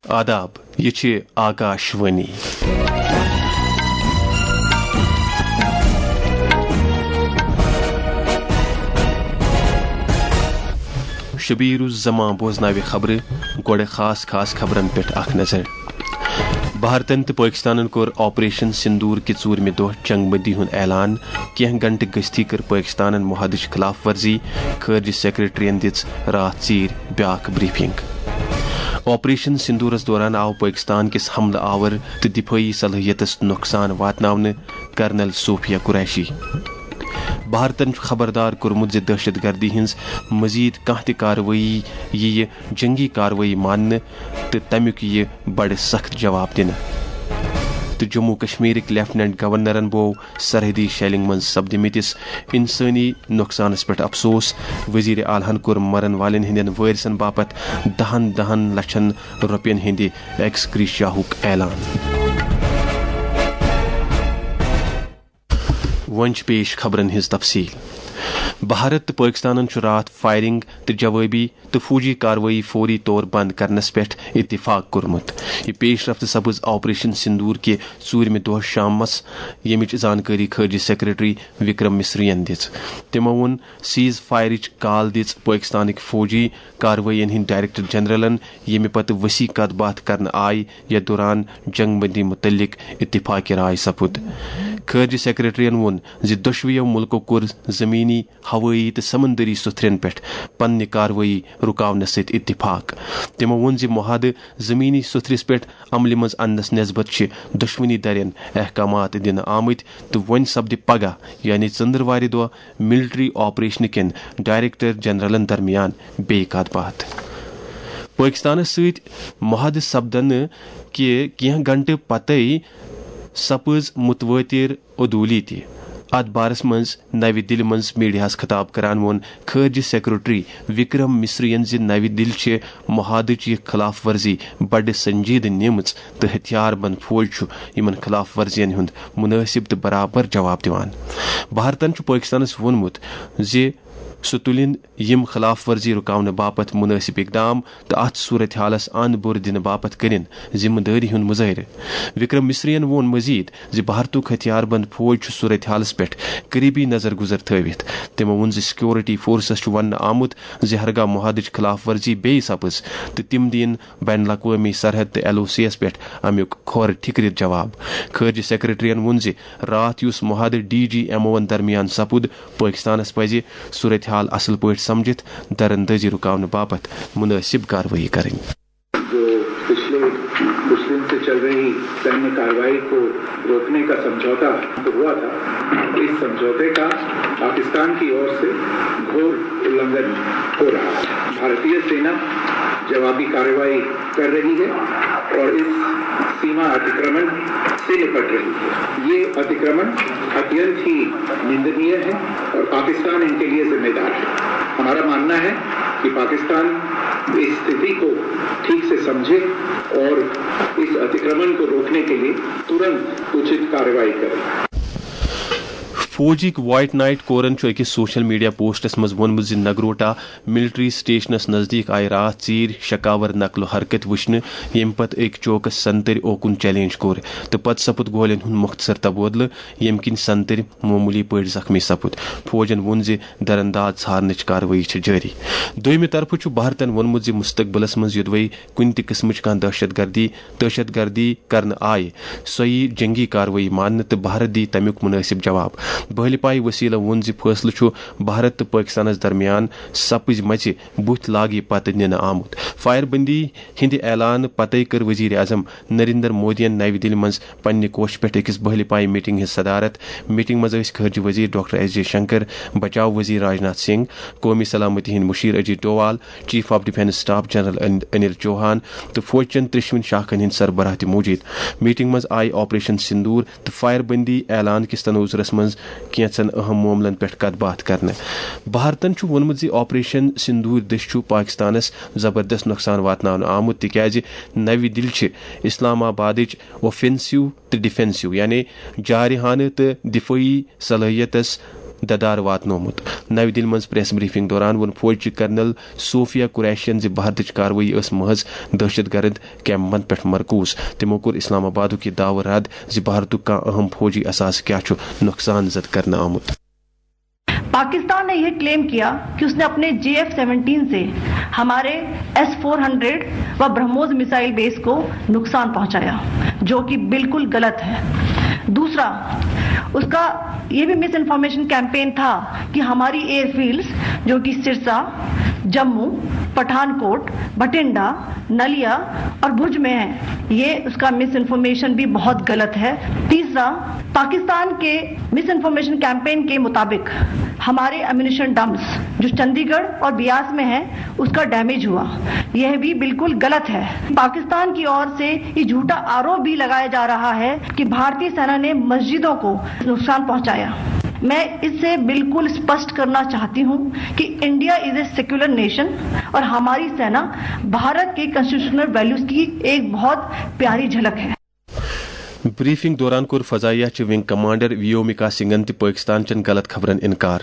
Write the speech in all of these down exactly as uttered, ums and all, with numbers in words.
آداب، یہِ چھِ آکاش وانی۔ شبیر الزمان بوزناوِ خبرٕ، گۄڈٕ خاص خاص خبرن پٮ۪ٹھ اکھ نظر۔ بھارتن تہٕ پٲکستانن کوٚر آپریشن سندور کہِ ژوٗرمہِ دۄہ جنگ بندی ہُنٛد اعلان۔ کینٛہہ گھنٹہٕ گٔژھتھٕے کٔر پٲکستانن معاہدٕچ خلاف ورزی، خارجہ سیکرٹریَن دِژ راتھ ژیٖرۍ بیٛاکھ بریفنگ۔ آپریشن سندورس دوران آو پٲکستان کِس حملہٕ آور تہٕ دفٲعی صلٲحیتس نۄقصان واتناونہٕ، کرنل صوفیہ قریشی۔ بھارتن چھُ خبردار کوٚرمُت زِ دہشت گردی ہٕنٛز مزید کانٛہہ تہِ کاروٲیی یِیہِ جنگی کاروٲیی ماننہٕ تہٕ تَمیُک یِیہِ بڑٕ سخت جواب دِنہٕ۔ تہٕ جموں کشمیرٕکۍ لیفٹیننٹ گورنرن بوو سرحدی شیلنگ منٛز سپدمٕتِس انسٲنی نۄقصانس پٮ۪ٹھ افسوس۔ وزیر اعلیٰ ہن کوٚر مرن والٮ۪ن ہٕنٛدٮ۪ن وٲرثن باپتھ دہن دہن لچھن رۄپین ہٕنٛدِ ایکس گریشیاہُک اعلان۔ وۄنۍ چھِ پیش خبرن ہٕنٛز تفصیل۔ بھارت تہٕ پٲکستانن چھُ راتھ فائرنگ تہٕ جوٲبی تہٕ فوجی کاروٲیی فوری طور بند کرنس پٮ۪ٹھ اتفاق کوٚرمُت۔ یہِ پیش رفت سپٕز آپریشن سندور کہِ ژوٗرمہِ دۄہ شامس، ییٚمِچ زانکٲری خارجہ سیکرٹری وکرم مصریَن دِژ۔ تِمو ووٚن، سیز فائرٕچ کال دِژ پٲکستانٕکۍ فوجی کاروٲیین ہٕنٛدۍ ڈائریکٹر جنرلن، ییٚمہِ پتہٕ ؤسیع کتھ باتھ کرنہٕ آیہِ، یتھ دوران جنگ بندی متعلق اتفاق رائے سپُد۔ خارجہ سیکرٹریَن ووٚن زِ دۄشوٕیو ملکو کوٚر زمینی، ہوٲیی تہٕ سمندری سوٚتھرٮ۪ن پٮ۪ٹھ پننہِ کاروٲیی رُکاونس سۭتۍ اتفاق۔ تِمو ووٚن زِ معاہدٕ زمینی سوٚتھرِس پٮ۪ٹھ عملہِ منٛز اننس نسبت چھِ دۄشوٕنی دھرٮ۪ن احکامات دِنہٕ آمٕتۍ تہٕ وۄنۍ سپدِ پگاہ، یعنی ژٔنٛدٕروارِ دۄہ، ملٹری آپریشنہٕ کٮ۪ن ڈائریکٹر جنرلن درمیان بیٚیہِ کتھ باتھ۔ پٲکستانس سۭتۍ معاہدٕ سپدنہٕ کہِ کینٛہہ گھنٹہٕ پتے سپٕز متوٲتر عدوٗلی تہِ۔ اتھ بارس منٛز نوِ دِلہِ منٛز میڈیاہس خطاب کران ووٚن خارجہ سیکرٹری وکرم مصریَن زِ نوِ دِلہِ چھِ معاہدٕچ یہِ خلاف ورزی بڑٕ سنجیدٕ نِمٕژ تہٕ ہتھیار بند فوج چھُ یِمن خلاف ورزین ہُنٛد مناسب تہٕ برابر جواب دِوان۔ بھارتن چھُ پٲکستانس ووٚنمُت زِ سُہ تُلِن یِم خلاف ورزی رُکاونہٕ باپتھ مُنٲسِب اقدام تہٕ اَتھ صورت حالَس اَند بُر دِنہٕ باپتھ کٔرِن ذمہٕ دٲری ہُنٛد مُظٲہرٕ۔ وکرم مصریَن ووٚن مٔزیٖد زِ بھارتُک ہتھیار بند فوج چھُ صورت حالَس پٮ۪ٹھ قریبی نظر گُزر تھٲوِتھ۔ تٔمۍ ووٚن زِ سیکورٹی فورسَس چھُ وننہٕ آمُت زِ ہرگاہ معاہدٕچ خلاف ورزی بیٚیہِ سپٕز تہٕ تِم دِن بین الاقوٲمی سرحد تہٕ ایل او سی یَس پٮ۪ٹھ اَمیُک کھۄر ٹھِکرِتھ جواب۔ خارجہ سیکرٹریَن ووٚن زِ راتھ یُس معاہدٕ ڈی جی ایم اوَن درمیان سپُد، پٲکستانَس پَزِ صورتحال اصل پٲٹھۍ سمجھِتھ درندٲزی رُکاونہٕ باپتھ مُنٲسِب کاروٲیی کرٕنۍ۔ جو پچھلے کچھ دن سے چل رہی سینیہ کارروائی کو روکنے کا سمجھوتا ہوا تھا، اس سمجھوتے کا پاکستان کی اور سے گھور النگھن ہو رہا ہے۔ بھارتیہ سینا جوابی کارروائی کر رہی ہے اور اس सीमा अतिक्रमण से निपट रही है। ये अतिक्रमण अत्यंत ही निंदनीय है और पाकिस्तान इनके लिए जिम्मेदार है। हमारा मानना है कि पाकिस्तान इस स्थिति को ठीक से समझे और इस अतिक्रमण को रोकने के लिए तुरंत उचित कार्रवाई करे। فوجٕکۍ وائٹ نائٹ کورن چھُ أکِس سوشل میڈیا پوسٹس منٛز ووٚنمُت زِ نگروٹا ملٹری سٹیشنس نزدیٖک آیہِ راتھ ژیٖرۍ شکاور نقل و حرکت وٕچھنہٕ، ییٚمہِ پتہٕ أکۍ چوکس سنتٕرۍ اوکُن چیلنج کوٚر تہٕ پتہٕ سپُد گولین ہُنٛد مۄختصر تبادلہٕ، ییٚمہِ کِنۍ سنتٕرۍ معموٗلی پٲٹھۍ زخمی سپُد۔ فوجن ووٚن زِ درانداز ژھارنٕچ کاروٲیی چھِ جٲری۔ دوٚیمہِ طرفہٕ چھُ بھارتن ووٚنمُت زِ مستقبلس منٛز یوٚدوَے کُنہِ تہِ قٕسمٕچ کانٛہہ دہشت گردی، دہشت گردی کرنہٕ آیہِ، سۄ یِیہِ جنگی کاروٲیی ماننہٕ تہٕ بھارت دِیہِ تَمیُک مُنٲسِب جواب۔ بہلہِ پایہِ وسیلو ووٚن زِ فٲصلہٕ چھُ بھارت تہٕ پٲکستانَس درمیان سپٕزمژِ بُتھۍ لاگہِ پتہٕ نِنہٕ آمُت۔ فائر بندی ہٕنٛدِ اعلان پتَے کٔر وزیر اعظم نریندر مودیَن نَوِ دِلہِ منٛز پننہِ کوٹھہِ پٮ۪ٹھ أکِس بہلہِ پایہِ میٹنگ ہٕنٛز صدارت۔ میٹنگ منٛز ٲسۍ خارجہ وزیر ڈاکٹر ایس جے شنکر، بچاو وزیر راجناتھ سنگھ، قومی سلامتی ہٕنٛدۍ مشیر Ajit Doval, chief of defence staff general ان-، انل چوہان تہٕ فوج چٮ۪ن ترٛیٚشوٕنی شاخن ہٕنٛدۍ سربراہ تہِ موجود۔ میٹنگ منٛز آیہِ آپریشن سندور تہٕ فائر بندی اعلان کِس تناظرس منٛز کینٛژن اہم معاملن پٮ۪ٹھ کتھ باتھ کرنہٕ۔ بھارتن چھُ ووٚنمُت زِ آپریشن سندور دٔسۍ چھُ پاکستانس زبردست نۄقصان واتناونہٕ آمُت، تِکیازِ نَوِ دِلہِ چھِ اسلام آبادٕچ اوفینسو تہٕ ڈیفنسو، یعنی جارحانہٕ تہٕ دفٲعی صلٲحیتس ددار واتنومت۔ نَوِ دِلہِ منٛز پریس بریفنگ دوران ووٚن فوجچہِ کرنل صوفیہ قریشین زِ بھارتٕچ کاروٲیی ٲس محض دہشت گرد کیمپن پٮ۪ٹھ مرکوز۔ تِمو کوٚر اسلام آبادُک یہِ دعوٕ رد زِ بھارتُک کانٛہہ اہم فوجی اثاثہٕ کیٛاہ چھُ نۄقصان زد کرنہٕ آمُت۔ पाकिस्तान ने यह क्लेम किया कि उसने अपने जे एफ सेवनटीन से हमारे एस फोर हंड्रेड व ब्रह्मोस मिसाइल बेस को नुकसान पहुंचाया, जो कि बिल्कुल गलत है। दूसरा, उसका ये भी मिस इन्फॉर्मेशन कैंपेन था कि हमारी एयरफील्ड्स, जो कि सिरसा, जम्मू, पठानकोट, भटिंडा, नलिया और भुज में है, ये उसका मिस इन्फॉर्मेशन भी बहुत गलत है। तीसरा, पाकिस्तान के मिस इन्फॉर्मेशन कैंपेन के मुताबिक हमारे एम्यूनिशन डंप्स, जो चंडीगढ़ और बियास में है, उसका डैमेज हुआ। यह भी बिल्कुल गलत है। पाकिस्तान की ओर से ये झूठा आरोप भी लगाया जा रहा है कि भारतीय सेना ने मस्जिदों को नुकसान पहुंचाया। मैं इससे बिल्कुल स्पष्ट करना चाहती हूं कि India is a secular nation और हमारी सेना भारत के कॉन्स्टिट्यूशनल वैल्यूज की एक बहुत प्यारी झलक है। بریفنگ دوران کوٚر فضائیہ چہِ ونگ کمانڈر ویومکا سنگھن تہِ پٲکستان چٮ۪ن غلط خبرن انکار۔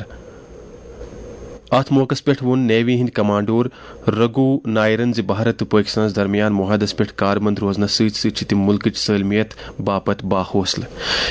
اتھ موقعس پٮ۪ٹھ ووٚن نیوی ہٕنٛدۍ کمانڈور رگھو نائرن زِ بھارت تہٕ پٲکستانس درمیان معاہدس پٮ۪ٹھ کاربند روزنس سۭتۍ سۭتۍ چھِ تِم مُلکٕچ سٲلمیت باپتھ باحوصلہٕ۔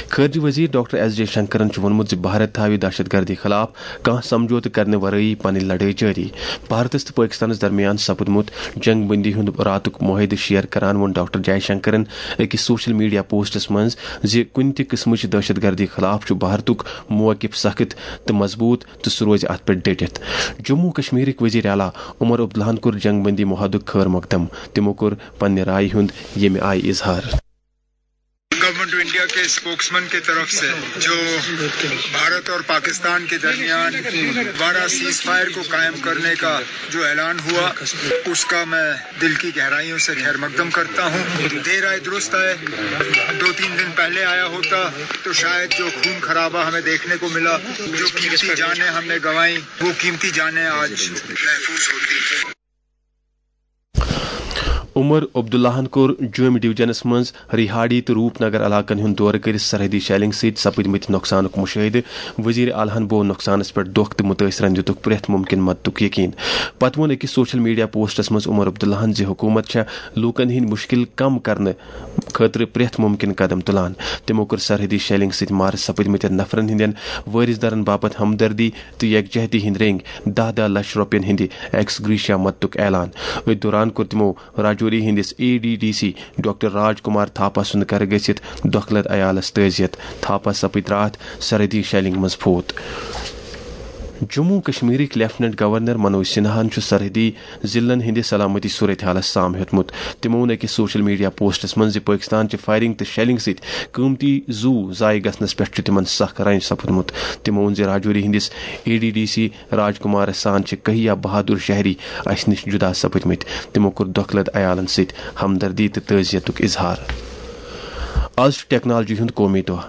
خارجہ وزیر ڈاکٹر ایس جے شنکرن چھُ ووٚنمُت زِ بھارت تھاوِ دہشت گردی خلاف کانٛہہ سمجھوتہٕ کرنہٕ ورٲیی پنٕنۍ لڑٲے جٲری۔ بھارتس تہٕ پٲکستانس درمیان سپدمُت جنگ بندی ہُنٛد راتُک معاہدٕ شیئر کران ووٚن ڈاکٹر جے شنکرن أکِس سوشل میڈیا پوسٹس منٛز زِ کُنہِ تہِ قٕسمٕچ دہشت گردی خلاف چھُ بھارتُک موقف سخت تہٕ مضبوط تہٕ سُہ روزِ اتھ پٮ۪ٹھ ڈٔٹِتھ۔ جموں کشمیرٕکۍ وزیر اعلیٰ عمر عبداللہن کوٚر جنگ بندی معاہدُک خیر مقدم۔ تِمو کوٚر پننہِ رایہِ ہُنٛد ییٚمہِ آیہِ اظہار۔ گورنمنٹ آف انڈیا کے اسپوکسمین کی طرف سے جو بھارت اور پاکستان کے درمیان دوبارہ سیز فائر کو قائم کرنے کا جو اعلان ہوا، اس کا میں دل کی گہرائیوں سے خیر مقدم کرتا ہوں۔ دیر آئے درست آئے، دو تین دن پہلے آیا ہوتا تو شاید جو خون خرابہ ہمیں دیکھنے کو ملا، جو قیمتی جانیں ہم نے گنوائیں، وہ قیمتی جانیں آج محفوظ ہوتی۔ عمر عبداللہن کوٚر جوٚمۍ ڈویژنس منٛز ریہاڑی تہٕ روپ نگر علاقن ہُنٛد دورٕ کٔرِتھ سرحدی شیلنگ سۭتۍ سپٕدمٕتۍ نۄقصانُک مُشٲہدٕ۔ وزیر اعلیٰ ہن بوو نۄقصانس پٮ۪ٹھ دۄکھ تہٕ مُتٲثرن دِتُکھ پرٛٮ۪تھ مُمکِن مددُک یقین۔ پتہٕ ووٚن أکِس سوشل میڈیا پوسٹس منٛز عمر عبداللہن زِ حکوٗمت چھےٚ لوٗکن ہٕنٛدۍ مُشکِل کم کرنہٕ خٲطرٕ پرٛٮ۪تھ مُمکِن قدم تُلان۔ تِمو کٔر سرحدی شیلنگ سۭتۍ مارٕ سپٕدمٕتٮ۪ن نفرن ہٕنٛدٮ۪ن وٲرثدارن باپتھ ہمدردی تہٕ یکجہتی ہٕنٛدۍ رٔنگۍ دَہ دَہ لچھ رۄپین ہٕنٛدِ ایکس گریشیا مدتُک اعلان۔ أتھۍ دوران کوٚر تِمو راجوری ہٕنٛدِس A D D C doctor Raj Kumar Thapa سُنٛد گرٕ گٔژھِتھ دۄکھلت عیالس تعزیت۔ تھاپا سپٕدۍ راتھ سرحدی شیلنگ منٛز فوت۔ جموں کشمیرٕکۍ لیفٹیننٹ گورنر منوج سنہاہن چھُ سرحدی ضلعن ہٕنٛدِ سلامتی صورتحالس سام ہیوٚتمُت۔ تِمو ووٚن أکِس سوشل میڈیا پوسٹس منٛز زِ پٲکستان چہِ فائرنگ تہٕ شیلنگ سۭتۍ قۭمتی زُو ضایع گژھنس پٮ۪ٹھ چھُ تِمن سخ رنج سپُدمُت۔ تِمو ووٚن زِ راجوری ہٕنٛدِس اے ڈی ڈی سی راج کمارس سان چھِ کہیا بہادر شہری اسہِ نِش جدا سپٕدمٕتۍ۔ تِمو کوٚر دۄکھلت عیالن سۭتۍ ہمدردی تہٕ تعزیتُک اظہار۔ آز چھُ ٹیکنالوجی ہُنٛد قومی دۄہ۔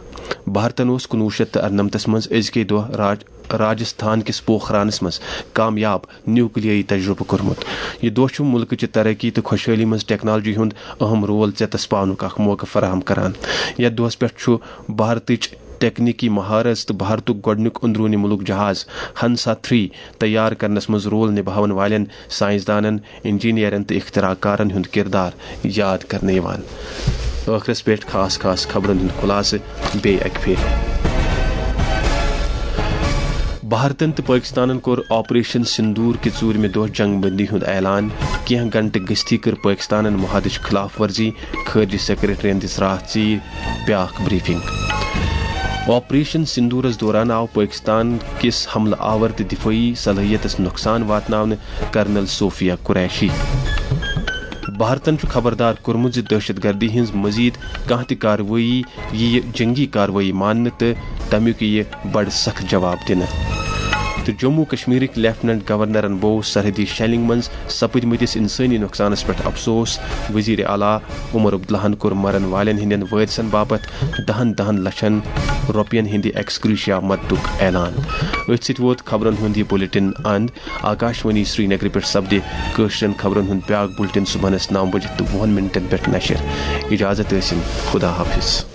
بھارتن اوس کُنوُہ شیٚتھ تہٕ ارنمتس منٛز أزکے دۄہ راج راجستھان کِس پوکھرانس منٛز کامیاب نیوکلیٲیی تجربہٕ کوٚرمُت۔ یہِ دۄہ چھُ مُلکٕچہِ ترقی تہٕ خۄشحٲلی منٛز ٹیکنالوجی ہُنٛد اہم رول ژیتس پاونُک اکھ موقعہٕ فراہم کران۔ یتھ دۄہس پٮ۪ٹھ چھُ بھارتٕچ تکنیکی مہارت تہٕ بھارتُک گۄڈٕنیُک اندرونی مُلک جہاز ہنسا تھری تیار کرنس منٛز رول نباون والٮ۪ن سائنسدانن، انجینئرن تہٕ اختراع کارن ہُنٛد کردار یاد کرنہٕ یِوان۔ ٲخرس پٮ۪ٹھ خاص خاص خبرن ہُنٛد خلاصہٕ بیٚیہِ اکہِ پھِرِ۔ بھارتن تہٕ پٲکستانن کوٚر آپریشن سندور کہِ ژوٗرمہِ دۄہ جنگ بندی ہُنٛد اعلان۔ کینٛہہ گھنٹہٕ گٔژھتھٕے کٔر پٲکستانن معاہدٕچ خلاف ورزی، خارجہ سیکرٹریَن دِژ راتھ ژیٖرۍ بیٛاکھ بریفنگ۔ آپریشن سندورس دوران آو پٲکستان کِس حملہٕ آور تہٕ دفٲعی صلٲحیتس نۄقصان واتناونہٕ، کرنل صوفیہ قریشی۔ بھارتن چھُ خبردار کوٚرمُت زِ دہشت گردی ہٕنٛز مزید کانٛہہ تہِ کاروٲیی یِیہِ جنگی کاروٲیی ماننہٕ تہٕ تمیُک یِیہِ بڑٕ سخت جواب دِنہٕ۔ تہٕ جموں کشمیرٕکۍ لیفٹیننٹ گورنرن بوو سرحدی شیلنگ منٛز سپٕدمٕتِس انسٲنی نۄقصانس پٮ۪ٹھ افسوس۔ وزیر اعلیٰ عمر عبداللہن کوٚر مرن والٮ۪ن ہٕنٛدٮ۪ن وٲرثن باپتھ دہن دہن لچھن رۄپین ہٕنٛدِ ایکس گریشیا مدتُک اعلان۔ أتھۍ سۭتۍ ووت خبرن ہُنٛد یہِ بلیٹن اند۔ آکاشوانی سرینگرٕ پٮ۪ٹھ سپدِ کٲشرٮ۪ن خبرن ہُنٛد بیٛاکھ بلیٹن صبحنس نو بجہِ تہٕ وُہن منٹن پٮ۪ٹھ نشر۔ اجازت ٲسِن، خدا حافظ۔